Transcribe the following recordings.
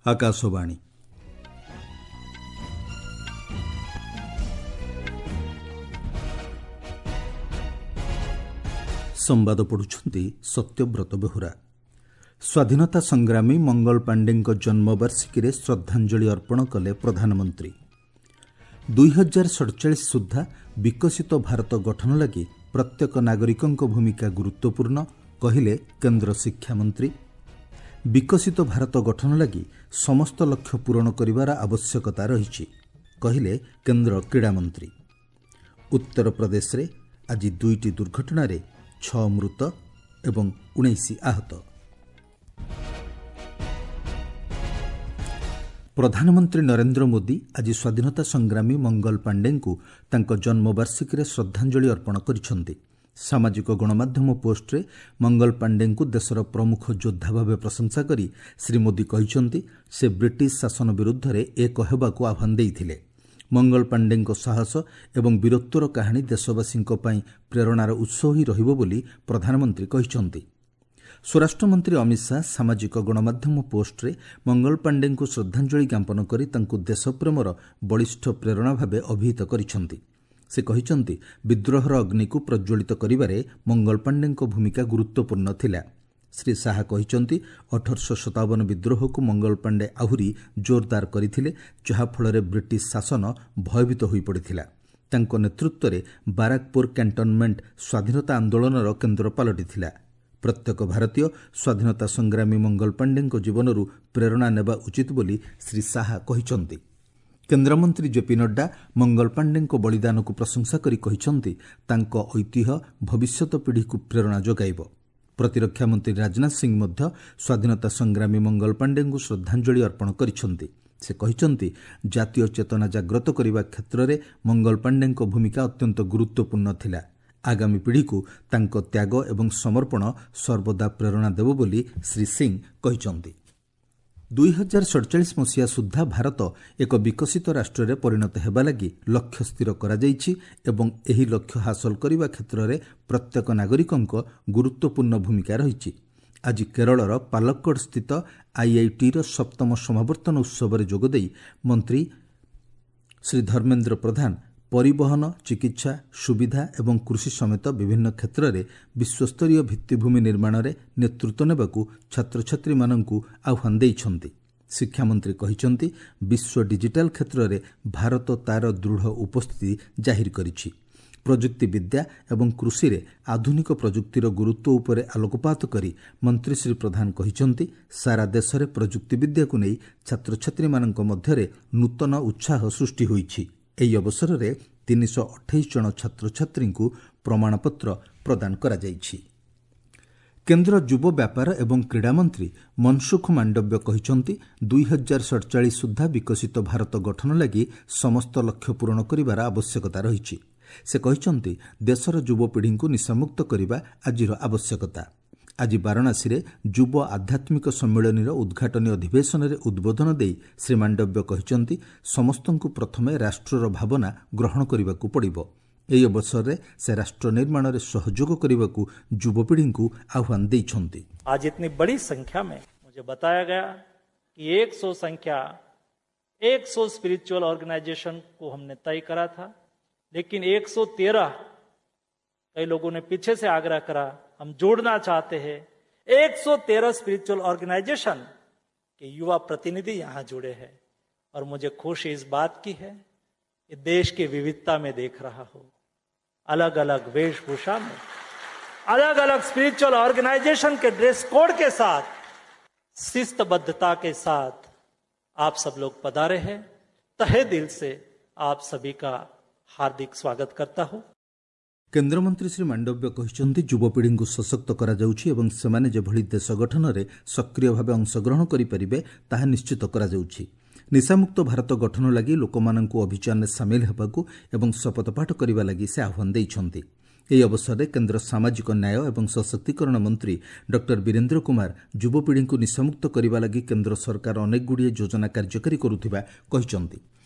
ଆକାଶବାଣୀ। ସମ୍ବାଦ ପଢ଼ୁଛନ୍ତି ସତ୍ୟବ୍ରତ ବେହୁରା। ସ୍ୱାଧୀନତା ସଂଗ୍ରାମୀ ମଙ୍ଗଳ ପାଣ୍ଡେଙ୍କ ଜନ୍ମବାର୍ଷିକୀରେ ଶ୍ରଦ୍ଧାଞ୍ଜଳି ଅର୍ପଣ କଲେ ପ୍ରଧାନମନ୍ତ୍ରୀ। 2047 ସୁଦ୍ଧା ବିକଶିତ ଭାରତ ଗଠନ ଲାଗି ପ୍ରତ୍ୟେକ ନାଗରିକଙ୍କ ଭୂମିକା ଗୁରୁତ୍ୱପୂର୍ଣ୍ଣ, କହିଲେ କେନ୍ଦ୍ର ଶିକ୍ଷାମନ୍ତ୍ରୀ। ବିକଶିତ ଭାରତ ଗଠନ ଲାଗି ସମସ୍ତ ଲକ୍ଷ୍ୟ ପୂରଣ କରିବାର ଆବଶ୍ୟକତା ରହିଛି, କହିଲେ କେନ୍ଦ୍ର କ୍ରୀଡ଼ାମନ୍ତ୍ରୀ। ଉତ୍ତରପ୍ରଦେଶରେ ଆଜି 2ଟି ଦୁର୍ଘଟଣାରେ 6 ମୃତ ଏବଂ 19 ଆହତ। ପ୍ରଧାନମନ୍ତ୍ରୀ ନରେନ୍ଦ୍ର ମୋଦି ଆଜି ସ୍ୱାଧୀନତା ସଂଗ୍ରାମୀ ମଙ୍ଗଲ ପାଣ୍ଡେଙ୍କୁ ତାଙ୍କ ଜନ୍ମବାର୍ଷିକୀରେ ଶ୍ରଦ୍ଧାଞ୍ଜଳି ଅର୍ପଣ କରିଛନ୍ତି। ସାମାଜିକ ଗଣମାଧ୍ୟମ ପୋଷ୍ଟରେ ମଙ୍ଗଲ ପାଣ୍ଡେଙ୍କୁ ଦେଶର ପ୍ରମୁଖ ଯୋଦ୍ଧା ଭାବେ ପ୍ରଶଂସା କରି ଶ୍ରୀ ମୋଦି କହିଛନ୍ତି, ସେ ବ୍ରିଟିଶ ଶାସନ ବିରୁଦ୍ଧରେ ଏକ ହେବାକୁ ଆହ୍ୱାନ ଦେଇଥିଲେ। ମଙ୍ଗଳ ପାଣ୍ଡେଙ୍କ ସାହସ ଏବଂ ବୀରତ୍ୱର କାହାଣୀ ଦେଶବାସୀଙ୍କ ପାଇଁ ପ୍ରେରଣାର ଉତ୍ସ ହୋଇ ରହିବ ବୋଲି ପ୍ରଧାନମନ୍ତ୍ରୀ କହିଛନ୍ତି। ସ୍ୱରାଷ୍ଟ୍ରମନ୍ତ୍ରୀ ଅମିତ ଶାହା ସାମାଜିକ ଗଣମାଧ୍ୟମ ପୋଷ୍ଟରେ ମଙ୍ଗଳ ପାଣ୍ଡେଙ୍କୁ ଶ୍ରଦ୍ଧାଞ୍ଜଳି ଜ୍ଞାପନ କରି ତାଙ୍କୁ ଦେଶପ୍ରେମର ବଳିଷ୍ଠ ପ୍ରେରଣା ଭାବେ ଅଭିହିତ କରିଛନ୍ତି। ସେ କହିଛନ୍ତି, ବିଦ୍ରୋହର ଅଗ୍ନିକୁ ପ୍ରଜ୍ୱଳିତ କରିବାରେ ମଙ୍ଗଳ ପାଣ୍ଡେଙ୍କ ଭୂମିକା ଗୁରୁତ୍ୱପୂର୍ଣ୍ଣ ଥିଲା। ଶ୍ରୀ ଶାହା କହିଛନ୍ତି, 1857 ବିଦ୍ରୋହକୁ ମଙ୍ଗଳ ପାଣ୍ଡେ ଆହୁରି ଜୋରଦାର କରିଥିଲେ, ଯାହାଫଳରେ ବ୍ରିଟିଶ ଶାସନ ଭୟଭୀତ ହୋଇପଡ଼ିଥିଲା। ତାଙ୍କ ନେତୃତ୍ୱରେ ବାରାକପୁର କ୍ୟାଣ୍ଟନମେଣ୍ଟ ସ୍ୱାଧୀନତା ଆନ୍ଦୋଳନର କେନ୍ଦ୍ର ପାଲଟିଥିଲା। ପ୍ରତ୍ୟେକ ଭାରତୀୟ ସ୍ୱାଧୀନତା ସଂଗ୍ରାମୀ ମଙ୍ଗଳ ପାଣ୍ଡେଙ୍କ ଜୀବନରୁ ପ୍ରେରଣା ନେବା ଉଚିତ ବୋଲି ଶ୍ରୀ ଶାହା କହିଛନ୍ତି। କେନ୍ଦ୍ରମନ୍ତ୍ରୀ ଜେପି ନଡ୍ଡା ମଙ୍ଗଳ ପାଣ୍ଡେଙ୍କ ବଳିଦାନକୁ ପ୍ରଶଂସା କରି କହିଛନ୍ତି, ତାଙ୍କ ଐତିହ୍ୟ ଭବିଷ୍ୟତ ପିଢ଼ିକୁ ପ୍ରେରଣା ଯୋଗାଇବ। ପ୍ରତିରକ୍ଷା ମନ୍ତ୍ରୀ ରାଜନାଥ ସିଂ ମଧ୍ୟ ସ୍ୱାଧୀନତା ସଂଗ୍ରାମୀ ମଙ୍ଗଳ ପାଣ୍ଡେଙ୍କୁ ଶ୍ରଦ୍ଧାଞ୍ଜଳି ଅର୍ପଣ କରିଛନ୍ତି। ସେ କହିଛନ୍ତି, ଜାତୀୟ ଚେତନା ଜାଗ୍ରତ କରିବା କ୍ଷେତ୍ରରେ ମଙ୍ଗଳ ପାଣ୍ଡେଙ୍କ ଭୂମିକା ଅତ୍ୟନ୍ତ ଗୁରୁତ୍ୱପୂର୍ଣ୍ଣ ଥିଲା। ଆଗାମୀ ପିଢ଼ିକୁ ତାଙ୍କ ତ୍ୟାଗ ଏବଂ ସମର୍ପଣ ସର୍ବଦା ପ୍ରେରଣା ଦେବ ବୋଲି ଶ୍ରୀ ସିଂ କହିଛନ୍ତି। 2047 ମସିହା ସୁଦ୍ଧା ଭାରତ ଏକ ବିକଶିତ ରାଷ୍ଟ୍ରରେ ପରିଣତ ହେବା ଲାଗି ଲକ୍ଷ୍ୟ ସ୍ଥିର କରାଯାଇଛି ଏବଂ ଏହି ଲକ୍ଷ୍ୟ ହାସଲ କରିବା କ୍ଷେତ୍ରରେ ପ୍ରତ୍ୟେକ ନାଗରିକଙ୍କ ଗୁରୁତ୍ୱପୂର୍ଣ୍ଣ ଭୂମିକା ରହିଛି। ଆଜି କେରଳର ପାଲକ୍କଡ଼ ସ୍ଥିତ ଆଇଆଇଟିର ସପ୍ତମ ସମାବର୍ତ୍ତନ ଉତ୍ସବରେ ଯୋଗଦେଇ ମନ୍ତ୍ରୀ ଶ୍ରୀ ଧର୍ମେନ୍ଦ୍ର ପ୍ରଧାନ ପରିବହନ, ଚିକିତ୍ସା, ସୁବିଧା ଏବଂ କୃଷି ସମେତ ବିଭିନ୍ନ କ୍ଷେତ୍ରରେ ବିଶ୍ୱସ୍ତରୀୟ ଭିତ୍ତିଭୂମି ନିର୍ମାଣରେ ନେତୃତ୍ୱ ନେବାକୁ ଛାତ୍ରଛାତ୍ରୀମାନଙ୍କୁ ଆହ୍ୱାନ ଦେଇଛନ୍ତି। ଶିକ୍ଷାମନ୍ତ୍ରୀ କହିଛନ୍ତି, ବିଶ୍ୱ ଡିଜିଟାଲ କ୍ଷେତ୍ରରେ ଭାରତ ତା'ର ଦୃଢ଼ ଉପସ୍ଥିତି ଜାହିର କରିଛି। ପ୍ରଯୁକ୍ତିବିଦ୍ୟା ଏବଂ କୃଷିରେ ଆଧୁନିକ ପ୍ରଯୁକ୍ତିର ଗୁରୁତ୍ୱ ଉପରେ ଆଲୋକପାତ କରି ମନ୍ତ୍ରୀ ଶ୍ରୀ ପ୍ରଧାନ କହିଛନ୍ତି, ସାରା ଦେଶରେ ପ୍ରଯୁକ୍ତିବିଦ୍ୟାକୁ ନେଇ ଛାତ୍ରଛାତ୍ରୀମାନଙ୍କ ମଧ୍ୟରେ ନୂତନ ଉତ୍ସାହ ସୃଷ୍ଟି ହୋଇଛି। ଏହି ଅବସରରେ 328 ଜଣ ଛାତ୍ରଛାତ୍ରୀଙ୍କୁ ପ୍ରମାଣପତ୍ର ପ୍ରଦାନ କରାଯାଇଛି। କେନ୍ଦ୍ର ଯୁବ ବ୍ୟାପାର ଏବଂ କ୍ରୀଡ଼ାମନ୍ତ୍ରୀ ମନସୁଖ ମାଣ୍ଡବ୍ୟ କହିଛନ୍ତି, 2047 ସୁଦ୍ଧା ବିକଶିତ ଭାରତ ଗଠନ ଲାଗି ସମସ୍ତ ଲକ୍ଷ୍ୟ ପୂରଣ କରିବାର ଆବଶ୍ୟକତା ରହିଛି। ସେ କହିଛନ୍ତି, ଦେଶର ଯୁବପିଢ଼ିଙ୍କୁ ନିଶାମୁକ୍ତ କରିବା ଆଜିର ଆବଶ୍ୟକତା। ଆଜି ବାରାଣସୀରେ ଯୁବ ଆଧ୍ୟାତ୍ମିକ ସମ୍ମିଳନୀର ଉଦ୍ଘାଟନୀ ଅଧିବେଶନରେ ଉଦ୍ବୋଧନ ଦେଇ ଶ୍ରୀ ମାଣ୍ଡବ୍ୟ କହିଛନ୍ତି, ସମସ୍ତଙ୍କୁ ପ୍ରଥମେ ରାଷ୍ଟ୍ରର ଭାବନା ଗ୍ରହଣ କରିବାକୁ ପଡ଼ିବ। ଏହି ଅବସରରେ ସେ ରାଷ୍ଟ୍ର ନିର୍ମାଣରେ ସହଯୋଗ କରିବାକୁ ଯୁବପିଢ଼ିଙ୍କୁ ଆହ୍ୱାନ ଦେଇଛନ୍ତି। आज इतनी बड़ी संख्या में मुझे बताया गया कि 100 संख्या 100 स्पिरिचुअल ऑर्गेनाइजेशन को हमने तय करा था, लेकिन 113 कई लोगों ने पीछे से आग्रह करा, हम जोड़ना चाहते हैं। 113 स्पिरिचुअल ऑर्गेनाइजेशन के युवा प्रतिनिधि यहां जुड़े हैं और मुझे खुशी इस बात की है कि देश की विविधता में देख रहा हूं, अलग अलग वेशभूषा में, अलग अलग स्पिरिचुअल ऑर्गेनाइजेशन के ड्रेस कोड के साथ, शिस्तबद्धता के साथ आप सब लोग पधारे हैं। तहे दिल से आप सभी का हार्दिक स्वागत करता हूं। କେନ୍ଦ୍ରମନ୍ତ୍ରୀ ଶ୍ରୀ ମାଣ୍ଡବ୍ୟ କହିଛନ୍ତି, ଯୁବପିଢ଼ିଙ୍କୁ ସଶକ୍ତ କରାଯାଉଛି ଏବଂ ସେମାନେ ଯେଭଳି ଦେଶ ଗଠନରେ ସକ୍ରିୟ ଭାବେ ଅଂଶଗ୍ରହଣ କରିପାରିବେ ତାହା ନିଶ୍ଚିତ କରାଯାଉଛି। ନିଶାମୁକ୍ତ ଭାରତ ଗଠନ ଲାଗି ଲୋକମାନଙ୍କୁ ଅଭିଯାନରେ ସାମିଲ ହେବାକୁ ଏବଂ ଶପଥପାଠ କରିବା ଲାଗି ସେ ଆହ୍ୱାନ ଦେଇଛନ୍ତି। ଏହି ଅବସରରେ କେନ୍ଦ୍ର ସାମାଜିକ ନ୍ୟାୟ ଏବଂ ସଶକ୍ତିକରଣ ମନ୍ତ୍ରୀ ଡକ୍ଟର ବୀରେନ୍ଦ୍ର କୁମାର ଯୁବପିଢ଼ିଙ୍କୁ ନିଶାମୁକ୍ତ କରିବା ଲାଗି କେନ୍ଦ୍ର ସରକାର ଅନେକଗୁଡ଼ିଏ ଯୋଜନା କାର୍ଯ୍ୟକାରୀ କରୁଥିବା କହିଛନ୍ତି।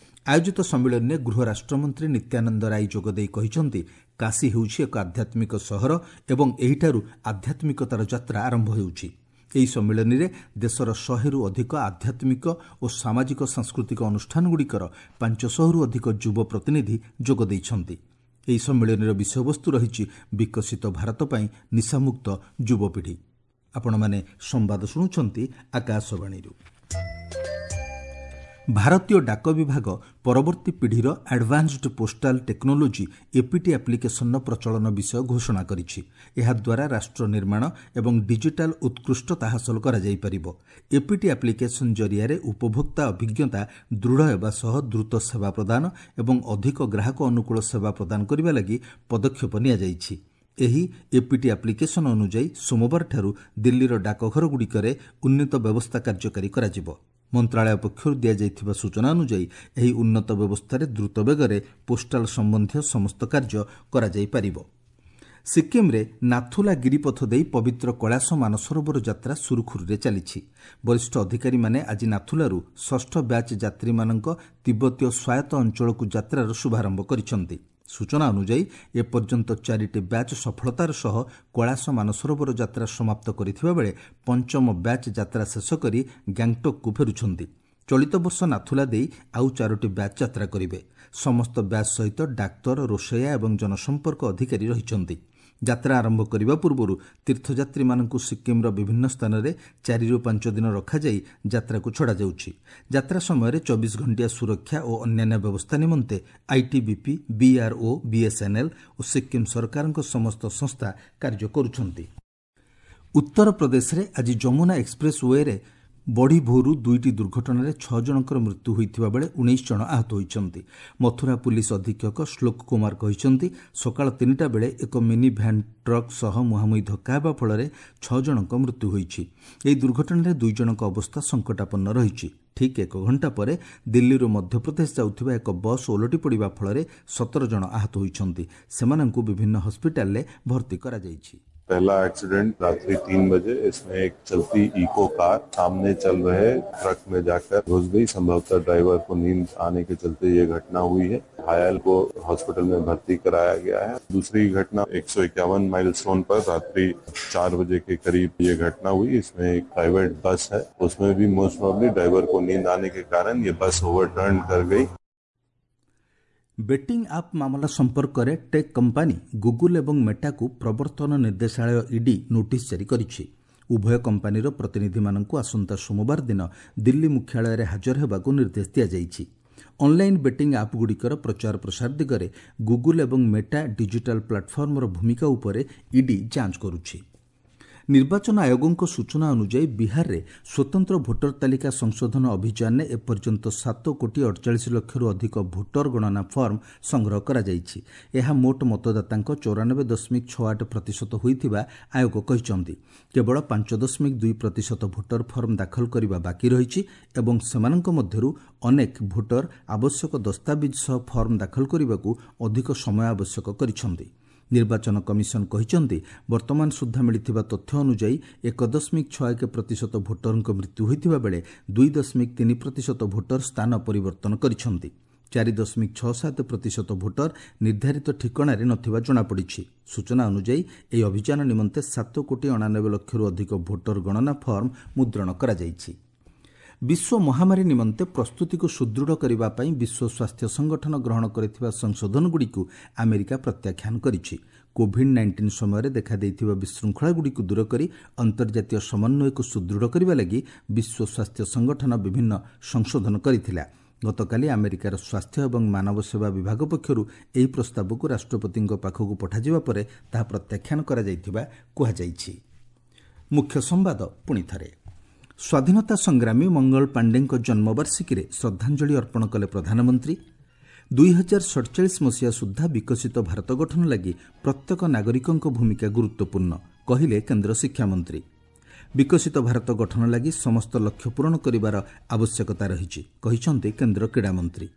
ଆୟୋଜିତ ସମ୍ମିଳନୀରେ ଗୃହ ରାଷ୍ଟ୍ରମନ୍ତ୍ରୀ ନିତ୍ୟାନନ୍ଦ ରାୟ ଯୋଗଦେଇ କହିଛନ୍ତି, କାଶୀ ହେଉଛି ଏକ ଆଧ୍ୟାତ୍ମିକ ସହର ଏବଂ ଏହିଠାରୁ ଆଧ୍ୟାତ୍ମିକତାର ଯାତ୍ରା ଆରମ୍ଭ ହେଉଛି। ଏହି ସମ୍ମିଳନୀରେ ଦେଶର 100ରୁ ଅଧିକ ଆଧ୍ୟାତ୍ମିକ ଓ ସାମାଜିକ ସାଂସ୍କୃତିକ ଅନୁଷ୍ଠାନଗୁଡ଼ିକର 500ରୁ ଅଧିକ ଯୁବ ପ୍ରତିନିଧି ଯୋଗ ଦେଇଛନ୍ତି। ଏହି ସମ୍ମିଳନୀର ବିଷୟବସ୍ତୁ ରହିଛି ବିକଶିତ ଭାରତ ପାଇଁ ନିଶାମୁକ୍ତ ଯୁବପିଢ଼ି। ଆପଣମାନେ ସମ୍ବାଦ ଶୁଣୁଛନ୍ତି ଆକାଶବାଣୀରୁ। ଭାରତୀୟ ଡାକ ବିଭାଗ ପରବର୍ତ୍ତୀ ପିଢ଼ିର ଆଡଭାନ୍ସଡ୍ ପୋଷ୍ଟାଲ ଟେକ୍ନୋଲୋଜି ଏପିଟି ଆପ୍ଲିକେସନର ପ୍ରଚଳନ ବିଷୟ ଘୋଷଣା କରିଛି। ଏହାଦ୍ୱାରା ରାଷ୍ଟ୍ର ନିର୍ମାଣ ଏବଂ ଡିଜିଟାଲ ଉତ୍କୃଷ୍ଟତା ହାସଲ କରାଯାଇପାରିବ। ଏପିଟି ଆପ୍ଲିକେସନ ଜରିଆରେ ଉପଭୋକ୍ତା ଅଭିଜ୍ଞତା ଦୃଢ଼ ହେବା ସହ ଦ୍ରୁତ ସେବା ପ୍ରଦାନ ଏବଂ ଅଧିକ ଗ୍ରାହକ ଅନୁକୂଳ ସେବା ପ୍ରଦାନ କରିବା ଲାଗି ପଦକ୍ଷେପ ନିଆଯାଇଛି। ଏହି ଏପିଟି ଆପ୍ଲିକେସନ ଅନୁଯାୟୀ ସୋମବାରଠାରୁ ଦିଲ୍ଲୀର ଡାକଘରଗୁଡ଼ିକରେ ଉନ୍ନତ ବ୍ୟବସ୍ଥା କାର୍ଯ୍ୟକାରୀ କରାଯିବ। ମନ୍ତ୍ରଣାଳୟ ପକ୍ଷରୁ ଦିଆଯାଇଥିବା ସୂଚନା ଅନୁଯାୟୀ ଏହି ଉନ୍ନତ ବ୍ୟବସ୍ଥାରେ ଦ୍ରୁତ ବେଗରେ ପୋଷ୍ଟାଲ ସମ୍ବନ୍ଧୀୟ ସମସ୍ତ କାର୍ଯ୍ୟ କରାଯାଇପାରିବ। ସିକ୍କିମ୍ରେ ନାଥୁଲା ଗିରିପଥ ଦେଇ ପବିତ୍ର କୈଳାସ ମାନସରୋବର ଯାତ୍ରା ସୁରୁଖୁରୁରେ ଚାଲିଛି। ବରିଷ୍ଠ ଅଧିକାରୀମାନେ ଆଜି ନାଥୁଲାରୁ ଷଷ୍ଠ ବ୍ୟାଚ୍ ଯାତ୍ରୀମାନଙ୍କ ତିବ୍ବତୀୟ ସ୍ୱାୟତ୍ତ ଅଞ୍ଚଳକୁ ଯାତ୍ରାର ଶୁଭାରମ୍ଭ କରିଛନ୍ତି। ସୂଚନା ଅନୁଯାୟୀ ଏପର୍ଯ୍ୟନ୍ତ 4ଟି ବ୍ୟାଚ୍ ସଫଳତାର ସହ କୈଳାସ ମାନସରୋବର ଯାତ୍ରା ସମାପ୍ତ କରିଥିବା ବେଳେ ପଞ୍ଚମ ବ୍ୟାଚ୍ ଯାତ୍ରା ଶେଷ କରି ଗ୍ୟାଙ୍ଗଟକ୍କୁ ଫେରୁଛନ୍ତି। ଚଳିତ ବର୍ଷ ନାଥୁଲା ଦେଇ ଆଉ 4ଟି ବ୍ୟାଚ୍ ଯାତ୍ରା କରିବେ। ସମସ୍ତ ବ୍ୟାଚ୍ ସହିତ ଡାକ୍ତର, ରୋଷେୟା ଏବଂ ଜନସମ୍ପର୍କ ଅଧିକାରୀ ରହିଛନ୍ତି। ଯାତ୍ରା ଆରମ୍ଭ କରିବା ପୂର୍ବରୁ ତୀର୍ଥଯାତ୍ରୀମାନଙ୍କୁ ସିକ୍କିମ୍ର ବିଭିନ୍ନ ସ୍ଥାନରେ 4ରୁ 5 ଦିନ ରଖାଯାଇ ଯାତ୍ରାକୁ ଛଡ଼ାଯାଉଛି। ଯାତ୍ରା ସମୟରେ 24 ଘଣ୍ଟିଆ ସୁରକ୍ଷା ଓ ଅନ୍ୟାନ୍ୟ ବ୍ୟବସ୍ଥା ନିମନ୍ତେ ଆଇଟିବିପି, ବିଆର୍ଓ, ବିଏସ୍ଏନ୍ଏଲ୍ ଓ ସିକ୍କିମ୍ ସରକାରଙ୍କ ସମସ୍ତ ସଂସ୍ଥା କାର୍ଯ୍ୟ କରୁଛନ୍ତି। ଉତ୍ତରପ୍ରଦେଶରେ ଆଜି ଯମୁନା ଏକ୍ସପ୍ରେସ୍ ୱେରେ ବଢ଼ି ଭୋରୁ 2ଟି ଦୁର୍ଘଟଣାରେ 6 ଜଣଙ୍କର ମୃତ୍ୟୁ ହୋଇଥିବା ବେଳେ 19 ଜଣ ଆହତ ହୋଇଛନ୍ତି। ମଥୁରା ପୁଲିସ ଅଧୀକ୍ଷକ ଶ୍ଲୋକ କୁମାର କହିଛନ୍ତି, ସକାଳ 3ଟା ବେଳେ ଏକ ମିନି ଭ୍ୟାନ୍ ଟ୍ରକ୍ ସହ ମୁହାଁମୁହିଁ ଧକ୍କା ହେବା ଫଳରେ 6 ଜଣଙ୍କ ମୃତ୍ୟୁ ହୋଇଛି। ଏହି ଦୁର୍ଘଟଣାରେ 2 ଜଣଙ୍କ ଅବସ୍ଥା ସଙ୍କଟାପନ୍ନ ରହିଛି। ଠିକ୍ 1 ଘଣ୍ଟା ପରେ ଦିଲ୍ଲୀରୁ ମଧ୍ୟପ୍ରଦେଶ ଯାଉଥିବା ଏକ ବସ୍ ଓଲଟି ପଡ଼ିବା ଫଳରେ 17 ଜଣ ଆହତ ହୋଇଛନ୍ତି। ସେମାନଙ୍କୁ ବିଭିନ୍ନ ହସ୍ପିଟାଲରେ ଭର୍ତ୍ତି କରାଯାଇଛି। पहला एक्सीडेंट रात्रि 3 बजे, इसमें एक चलती इको कार सामने चल रहे ट्रक में जाकर घुस गई। संभवतः ड्राइवर को नींद आने के चलते ये घटना हुई है। घायल को हॉस्पिटल में भर्ती कराया गया है। दूसरी घटना 151 माइलस्टोन पर रात्रि 4 बजे के करीब ये घटना हुई। इसमें एक प्राइवेट बस है, उसमें भी मोस्ट प्रोबेबली ड्राइवर को नींद आने के कारण ये बस ओवरटर्न कर गई। ବେଟିଂ ଆପ୍ ମାମଲା ସମ୍ପର୍କରେ ଟେକ୍ କମ୍ପାନୀ ଗୁଗୁଲ ଏବଂ ମେଟାକୁ ପ୍ରବର୍ତ୍ତନ ନିର୍ଦ୍ଦେଶାଳୟ ଇଡି ନୋଟିସ୍ ଜାରି କରିଛି। ଉଭୟ କମ୍ପାନୀର ପ୍ରତିନିଧିମାନଙ୍କୁ ଆସନ୍ତା ସୋମବାର ଦିନ ଦିଲ୍ଲୀ ମୁଖ୍ୟାଳୟରେ ହାଜର ହେବାକୁ ନିର୍ଦ୍ଦେଶ ଦିଆଯାଇଛି। ଅନ୍ଲାଇନ୍ ବେଟିଂ ଆପ୍ଗୁଡ଼ିକର ପ୍ରଚାର ପ୍ରସାର ଦିଗରେ ଗୁଗୁଲ ଏବଂ ମେଟା ଡିଜିଟାଲ ପ୍ଲାଟଫର୍ମର ଭୂମିକା ଉପରେ ଇଡି ଯାଞ୍ଚ କରୁଛି। ନିର୍ବାଚନ ଆୟୋଗଙ୍କ ସୂଚନା ଅନୁଯାୟୀ ବିହାରରେ ସ୍ୱତନ୍ତ୍ର ଭୋଟର ତାଲିକା ସଂଶୋଧନ ଅଭିଯାନରେ ଏପର୍ଯ୍ୟନ୍ତ 7 କୋଟି 48 ଲକ୍ଷରୁ ଅଧିକ ଭୋଟର ଗଣନା ଫର୍ମ ସଂଗ୍ରହ କରାଯାଇଛି। ଏହା ମୋଟ ମତଦାତାଙ୍କ 94.68% ହୋଇଥିବା ଆୟୋଗ କହିଛନ୍ତି। କେବଳ 5.2% ଭୋଟର ଫର୍ମ ଦାଖଲ କରିବା ବାକି ରହିଛି ଏବଂ ସେମାନଙ୍କ ମଧ୍ୟରୁ ଅନେକ ଭୋଟର ଆବଶ୍ୟକ ଦସ୍ତାବିଜ ସହ ଫର୍ମ ଦାଖଲ କରିବାକୁ ଅଧିକ ସମୟ ଆବଶ୍ୟକ କରିଛନ୍ତି। ନିର୍ବାଚନ କମିଶନ କହିଛନ୍ତି, ବର୍ତ୍ତମାନ ସୁଦ୍ଧା ମିଳିଥିବା ତଥ୍ୟ ଅନୁଯାୟୀ 1.61% ଭୋଟରଙ୍କ ମୃତ୍ୟୁ ହୋଇଥିବା ବେଳେ 2.3% ଭୋଟର ସ୍ଥାନ ପରିବର୍ତ୍ତନ କରିଛନ୍ତି। 4.67% ଭୋଟର ନିର୍ଦ୍ଧାରିତ ଠିକଣାରେ ନଥିବା ଜଣାପଡ଼ିଛି। ସୂଚନା ଅନୁଯାୟୀ ଏହି ଅଭିଯାନ ନିମନ୍ତେ 7 କୋଟି 89 ଲକ୍ଷରୁ ଅଧିକ ଭୋଟର ଗଣନା ଫର୍ମ ମୁଦ୍ରଣ କରାଯାଇଛି। ବିଶ୍ୱ ମହାମାରୀ ନିମନ୍ତେ ପ୍ରସ୍ତୁତିକୁ ସୁଦୃଢ଼ କରିବା ପାଇଁ ବିଶ୍ୱ ସ୍ୱାସ୍ଥ୍ୟ ସଂଗଠନ ଗ୍ରହଣ କରିଥିବା ସଂଶୋଧନଗୁଡ଼ିକୁ ଆମେରିକା ପ୍ରତ୍ୟାଖ୍ୟାନ କରିଛି। କୋଭିଡ୍ 19 ସମୟରେ ଦେଖାଦେଇଥିବା ବିଶୃଙ୍ଖଳାଗୁଡ଼ିକୁ ଦୂର କରି ଅନ୍ତର୍ଜାତୀୟ ସମନ୍ୱୟକୁ ସୁଦୃଢ଼ କରିବା ଲାଗି ବିଶ୍ୱ ସ୍ୱାସ୍ଥ୍ୟ ସଂଗଠନ ବିଭିନ୍ନ ସଂଶୋଧନ କରିଥିଲା। ଗତକାଲି ଆମେରିକାର ସ୍ୱାସ୍ଥ୍ୟ ଏବଂ ମାନବ ସେବା ବିଭାଗ ପକ୍ଷରୁ ଏହି ପ୍ରସ୍ତାବକୁ ରାଷ୍ଟ୍ରପତିଙ୍କ ପାଖକୁ ପଠାଯିବା ପରେ ତାହା ପ୍ରତ୍ୟାଖ୍ୟାନ କରାଯାଇଥିବା କୁହାଯାଇଛି। ମୁଖ୍ୟ ସମ୍ବାଦ ପୁଣିଥରେ। ସ୍ୱାଧୀନତା ସଂଗ୍ରାମୀ ମଙ୍ଗଳ ପାଣ୍ଡେଙ୍କ ଜନ୍ମବାର୍ଷିକୀରେ ଶ୍ରଦ୍ଧାଞ୍ଜଳି ଅର୍ପଣ କଲେ ପ୍ରଧାନମନ୍ତ୍ରୀ। 2047 ମସିହା ସୁଦ୍ଧା ବିକଶିତ ଭାରତ ଗଠନ ଲାଗି ପ୍ରତ୍ୟେକ ନାଗରିକଙ୍କ ଭୂମିକା ଗୁରୁତ୍ୱପୂର୍ଣ୍ଣ, କହିଲେ କେନ୍ଦ୍ର ଶିକ୍ଷାମନ୍ତ୍ରୀ। ବିକଶିତ ଭାରତ ଗଠନ ଲାଗି ସମସ୍ତ ଲକ୍ଷ୍ୟ ପୂରଣ କରିବାର ଆବଶ୍ୟକତା ରହିଛି, କହିଛନ୍ତି କେନ୍ଦ୍ର କ୍ରୀଡ଼ାମନ୍ତ୍ରୀ।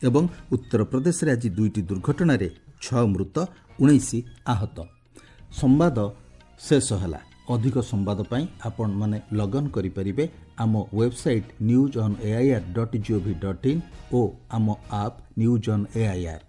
ଏବଂ ଉତ୍ତରପ୍ରଦେଶରେ ଆଜି ଦୁଇଟି ଦୁର୍ଘଟଣାରେ 6 ମୃତ, 19 ଆହତ। ସମ୍ବାଦ ଶେଷ ହେଲା। ଅଧିକ ସମ୍ବାଦ ପାଇଁ ଆପଣମାନେ ଲଗ୍ଅନ୍ କରିପାରିବେ ଆମ website newsonAIR.gov.in ଓ ଆମ ଆପ୍ ନ୍ୟୁଜ୍ ଅନ୍ ଏଆଇଆର୍।